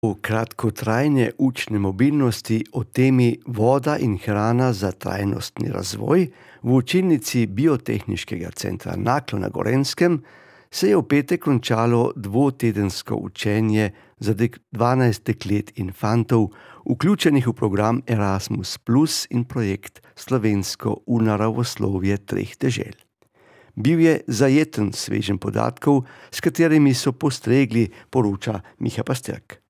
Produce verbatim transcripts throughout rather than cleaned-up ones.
O kratkotrajne učne mobilnosti, o temi voda in hrana za trajnostni razvoj v učilnici Biotehniškega centra Naklo na Gorenjskem se je v petek končalo dvotedensko učenje za dvanajst deklet in fantov, vključenih v program Erasmus plus in projekt Slovensko v naravoslovje treh dežel. Bil je zajeten sveženj podatkov, s katerimi so postregli, poroča Miha Pasterk.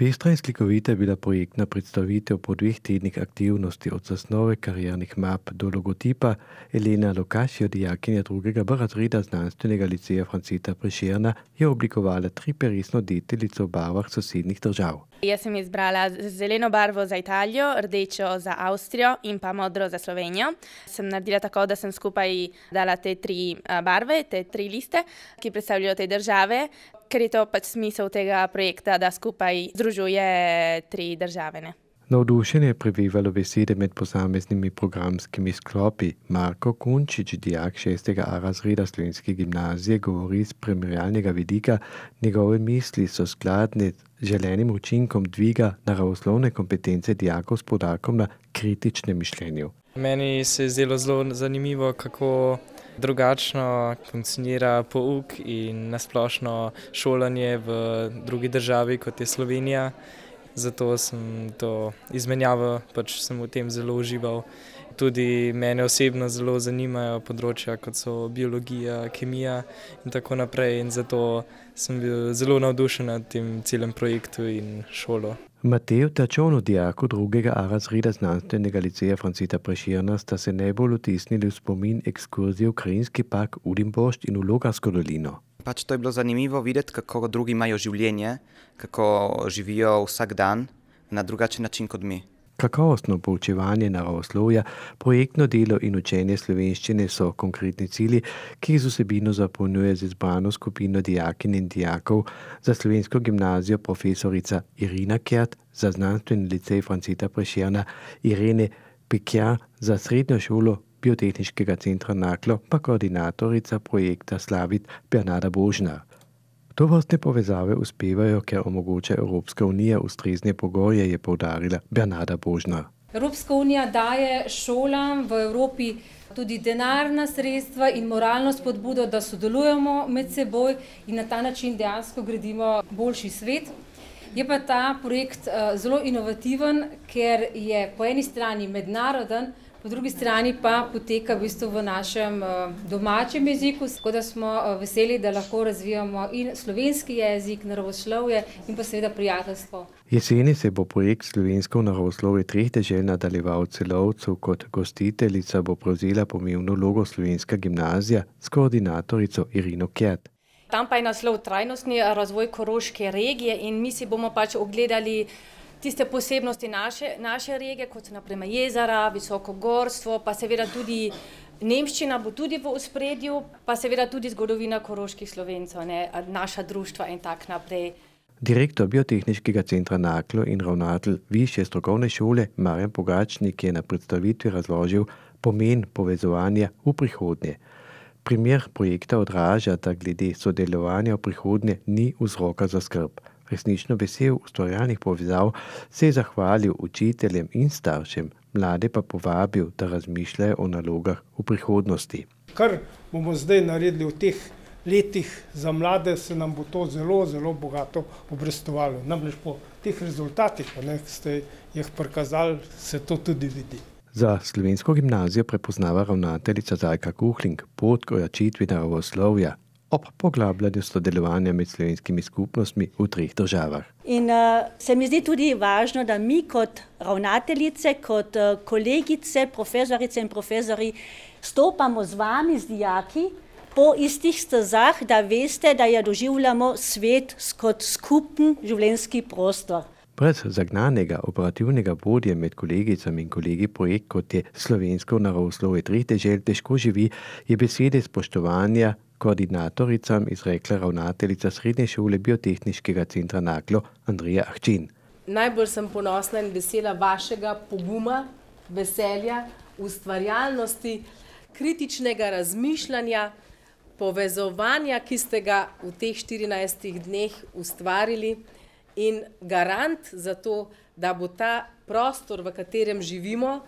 Pestra in slikovita je bila projektna predstavitev po dveh tednih aktivnosti od zasnove kariernih map do logotipa. Elena Lokašjo, dijakinja drugega B razreda znanstvenega liceja Franceta Prešerna, je oblikovala triperesno deteljico v barvah sosednjih držav. Jaz sem izbrala zeleno barvo za Italijo, rdečo za Avstrijo in pa modro za Slovenijo. Sem naredila tako, da sem skupaj dala te tri barve, te tri liste, ki predstavljajo te države, ker je to pač smisel tega projekta, da skupaj združuje tri države. Ne? Navdušenje je prevevalo besede med posameznimi programskimi sklopi. Marko Kunčič, dijak šestega A razreda slovenske gimnazije, govori z primerjalnega vidika. Njegove misli so skladne z želenim učinkom dviga naravoslovne kompetence dijakov s poudarkom na kritičnem mišljenju. Meni se je zdelo zelo zanimivo, kako drugačno funkcionira pouk in nasplošno šolanje v drugi državi, kot je Slovenija. Zato sem to izmenjavo, pač sem v tem zelo užival. Tudi mene osebno zelo zanimajo področja, kot so biologija, kemija in tako naprej. In zato sem bil zelo navdušen nad tem celem projektu in šolo. Matej Tačon, dijak drugega A razreda znanstvenega liceja Franceta Prešerna, sta se najbolj vtisnili v spomin ekskurzije v krajinski park Udimbošt in v Logarsko dolino. Pač to je bilo zanimivo videti, kako drugi imajo življenje, kako živijo vsak dan na drugačen način kot mi. Kakovostno poučevanje naravoslovja, projektno delo in učenje slovenščine so konkretni cilji, ki jih z vsebino zapolnjuje z izbrano skupino dijakinj in dijakov. Za slovensko gimnazijo profesorica Irina Kert, za znanstveni licej Franceta Prešerna Irene Pekja, za srednjo šolo Biotehniškega centra Naklo pa koordinatorica projekta Slavit Bernarda Božnar. Tovrstne povezave uspevajo, ker omogoča Evropska unija ustrezne pogoje, je poudarila Bernarda Božnar. Evropska unija daje šolam v Evropi tudi denarna sredstva in moralno spodbudo, da sodelujemo med seboj in na ta način dejansko gradimo boljši svet. Je pa ta projekt zelo inovativen, ker je po eni strani mednaroden, po drugi strani pa poteka v bistvu v našem domačem jeziku, tako da smo veseli, da lahko razvijamo in slovenski jezik, naravoslovje in pa seveda prijateljstvo. Jeseni se bo projekt Slovensko v naravoslovje treh dežel nadaljeval v Celovcu. Kot gostiteljica bo prevzela pomembno vlogo slovenska gimnazija s koordinatorico Irino Kert. Tam pa je naslov trajnostni razvoj koroške regije in mi si bomo pač ogledali tiste posebnosti naše, naše regije, kot so naprimer jezera, visoko gorstvo, pa seveda tudi nemščina bo tudi v ospredju, pa seveda tudi zgodovina koroških Slovencev, ne, naša društva in tak naprej. Direktor Biotehniškega centra Naklo in ravnatelj Višje strokovne šole Marjan Pogačnik je na predstavitvi razložil pomen povezovanja v prihodnje. Primer projekta odraža, da glede sodelovanja v prihodnje ni vzroka za skrb. Resnično vesel ustvarjalnih povezav se je zahvalil učiteljem in staršem, mlade pa povabil, da razmišljajo o nalogah v prihodnosti. Kar bomo zdaj naredili v teh letih za mlade, se nam bo to zelo, zelo bogato obrestovalo. Namreč po teh rezultatih, ki ste jih prikazali, se to tudi vidi. Za slovensko gimnazijo prepoznava ravnateljica Zajka Kuhling pot k ojačitvi naravoslovja ob poglabljanju sodelovanja med slovenskimi skupnostmi v treh državah. In uh, se mi zdi tudi važno, da mi kot ravnateljice, kot uh, kolegice, profesorice in profesori stopamo z vami, z dijaki, po istih stezah, da veste, da je doživljamo svet kot skupen življenjski prostor. Brez zagnanega operativnega vodje med kolegicami in kolegi projekt, kot je Slovensko naravoslovje treh dežel, težko živi, je besede spoštovanja koordinatoricam izrekla ravnateljica srednje šole Biotehniškega centra Naklo Andreja Ahčin. Najbolj sem ponosna in vesela vašega poguma, veselja, ustvarjalnosti, kritičnega razmišljanja, povezovanja, ki ste ga v teh štirinajstih dneh ustvarili in garant za to, da bo ta prostor, v katerem živimo,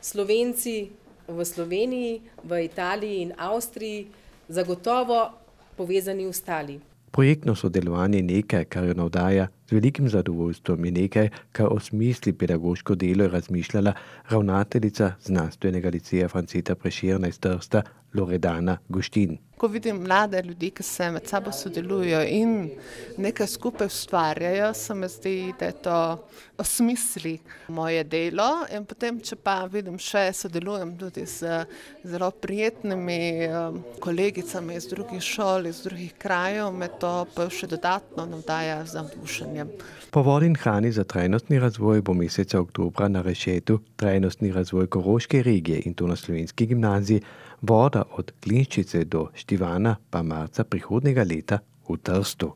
Slovenci v Sloveniji, v Italiji in Avstriji, zagotovo povezani ostali. Projektno sodelovanje je nekaj, kar jo navdaja, z velikim zadovoljstvom je nekaj, kar osmisli pedagoško delo je razmišljala ravnateljica znanstvenega liceja Franceta Prešerna iz Trsta, Loredana Guštin. Ko vidim mlade ljudi, ki se med sabo sodelujo in nekaj skupaj ustvarjajo, se mi zdi, da je to osmisli moje delo. In potem, če pa vidim še, sodelujem tudi z zelo prijetnimi um, kolegicami iz drugih šol, iz drugih krajev, me to pa še dodatno navdaja z navdušenjem. Po vodi in hrani za trajnostni razvoj bo meseca oktobra na Rešetu trajnostni razvoj Koroške regije in to na Slovenski gimnaziji, voda od Glinščice do Štivana pa marca prihodnjega leta v Trstu.